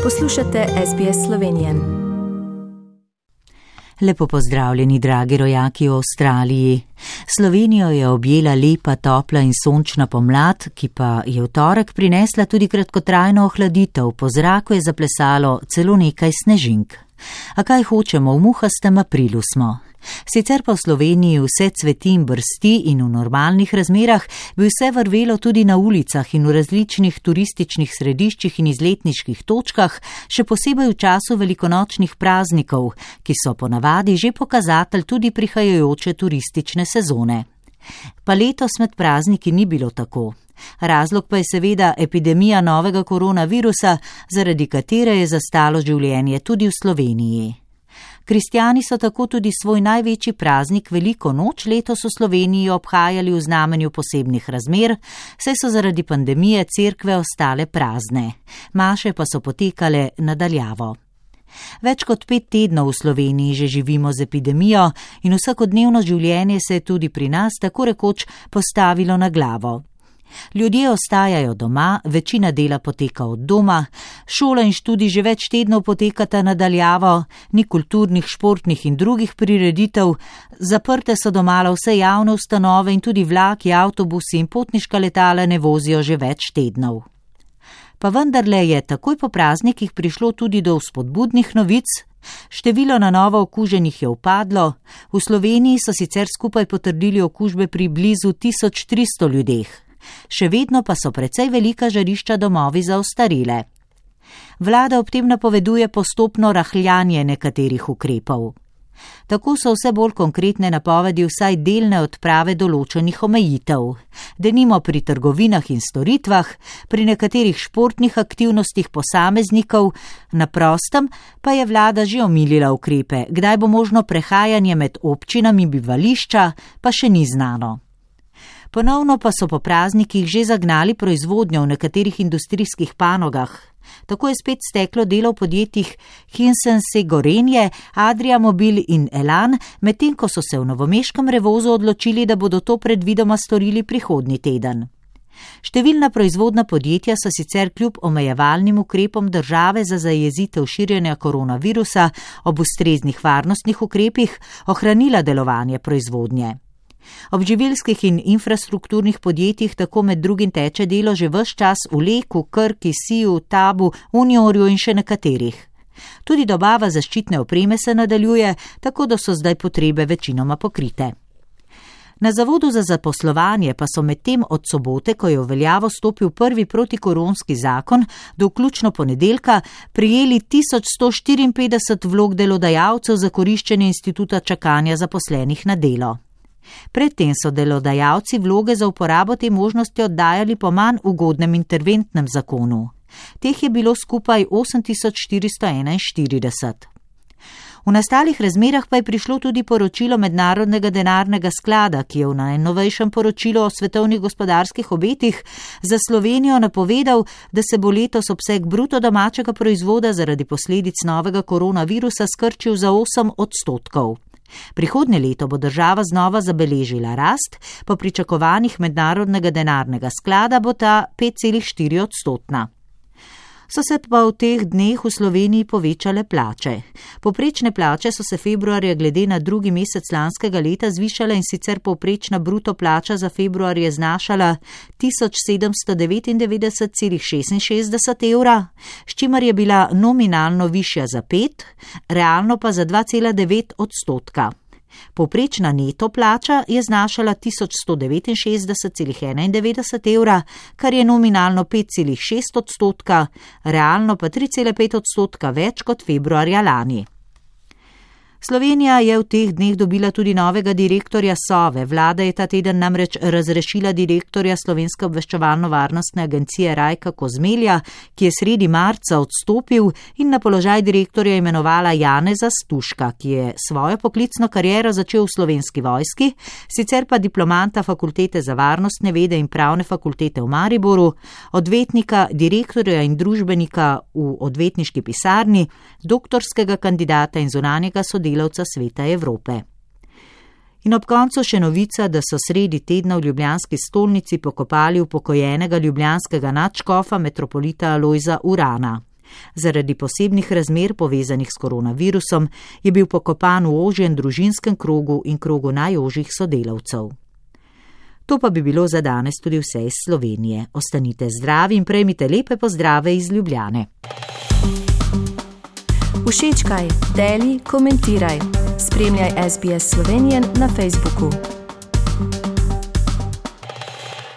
Poslušate SBS Slovenije. Lepo pozdravljeni, dragi rojaki v Avstraliji. Slovenijo je objela lepa, topla in sončna pomlad, ki pa je v torek prinesla tudi kratkotrajno ohladitev. Po zraku je zaplesalo celo nekaj snežink. A kaj hočemo, v muhastem aprilu smo. Sicer pa v Sloveniji vse cveti in brsti in v normalnih razmerah bi vse vrvelo tudi na ulicah in v različnih turističnih središčih in izletniških točkah, še posebej v času velikonočnih praznikov, ki so ponavadi že pokazatelj tudi prihajajoče turistične sezone. Pa letos med prazniki ni bilo tako. Razlog pa je seveda epidemija novega koronavirusa, zaradi katere je zastalo življenje tudi v Sloveniji. Kristjani so tako tudi svoj največji praznik Veliko noč letos v Sloveniji obhajali v znamenju posebnih razmer, saj so zaradi pandemije cerkve ostale prazne. Maše pa so potekale nadaljavo. Več kot 5 tednov v Sloveniji že živimo z epidemijo in vsakodnevno življenje se je tudi pri nas tako rekoč postavilo na glavo. Ljudje ostajajo doma, večina dela poteka od doma, šola in študij že več tednov potekata nadaljavo, ni kulturnih, športnih in drugih prireditev, zaprte so domala vse javne ustanove in tudi vlaki, avtobusi in potniška letala ne vozijo že več tednov. Pa vendarle je takoj po praznikih prišlo tudi do vzpodbudnih novic. Število na novo okuženih je upadlo, v Sloveniji so sicer skupaj potrdili okužbe pri blizu 1300 ljudeh. Še vedno pa so precej velika žarišča domovi za ostarele. Vlada ob tem napoveduje postopno rahljanje nekaterih ukrepov. Tako so vse bolj konkretne napovedi vsaj delne odprave določenih omejitev. Denimo pri trgovinah in storitvah, pri nekaterih športnih aktivnostih posameznikov, na prostem pa je vlada že omilila ukrepe, kdaj bo možno prehajanje med občinami bivališča, pa še ni znano. Ponovno pa so po praznikih že zagnali proizvodnjo v nekaterih industrijskih panogah. Tako je spet steklo delo v podjetjih Hisense Gorenje, Adria Mobil in Elan, medtem ko so se v novomeškem Revozu odločili, da bodo to predvidoma storili prihodnji teden. Številna proizvodna podjetja so sicer kljub omejevalnim ukrepom države za zajezitev širjenja koronavirusa ob ustreznih varnostnih ukrepih ohranila delovanje proizvodnje. Ob živilskih in infrastrukturnih podjetjih tako med drugim teče delo že ves čas v Leku, Krki, Siju, Tabu, Uniorju in še nekaterih. Tudi dobava zaščitne opreme se nadaljuje, tako da so zdaj potrebe večinoma pokrite. Na Zavodu za zaposlovanje pa so medtem od sobote, ko je v veljavo stopil prvi protikoronski zakon, do vključno ponedeljka prijeli 1154 vlog delodajalcev za koriščenje instituta čakanja zaposlenih na delo. Predtem so delodajalci vloge za uporabo te možnosti oddajali po manj ugodnem interventnem zakonu. Teh je bilo skupaj 8441. V nastalih razmerah pa je prišlo tudi poročilo Mednarodnega denarnega sklada, ki je v najnovejšem poročilu o svetovnih gospodarskih obetih za Slovenijo napovedal, da se bo letos obseg bruto domačega proizvoda zaradi posledic novega koronavirusa skrčil za 8%. Prihodnje leto bo država znova zabeležila rast, po pričakovanjih Mednarodnega denarnega sklada bo ta 5,4%. So se pa v teh dneh v Sloveniji povečale plače. Povprečne plače so se februarja glede na drugi mesec lanskega leta zvišale in sicer povprečna bruto plača za februar je znašala 1799,66 evra, s čimer je bila nominalno višja za 5, realno pa za 2,9%. Povprečna neto plača je znašala 1169,91 evra, kar je nominalno 5,6%, realno pa 3,5% več kot februarja lani. Slovenija je v teh dneh dobila tudi novega direktorja Sove. Vlada je ta teden namreč razrešila direktorja Slovenske obveščevalno-varnostne agencije Rajka Kozmelja, ki je sredi marca odstopil in na položaj direktorja imenovala Janeza Stuška, ki je svojo poklicno kariero začel v Slovenski vojski, sicer pa diplomanta Fakultete za varnostne vede in pravne fakultete v Mariboru, odvetnika, direktorja in družbenika v odvetniški pisarni, doktorskega kandidata in zunanjega sodelavca Sveta Evrope. In ob koncu še novica, da so sredi tedna v ljubljanski stolnici pokopali upokojenega ljubljanskega nadškofa metropolita Alojza Urana. Zaradi posebnih razmer povezanih s koronavirusom je bil pokopan v ožjem družinskem krogu in krogu najožjih sodelavcev. To pa bi bilo za danes tudi vse iz Slovenije. Ostanite zdravi in prejmite lepe pozdrave iz Ljubljane. Všečkaj, deli, komentiraj. Spremljaj SBS Slovenijan na Facebooku.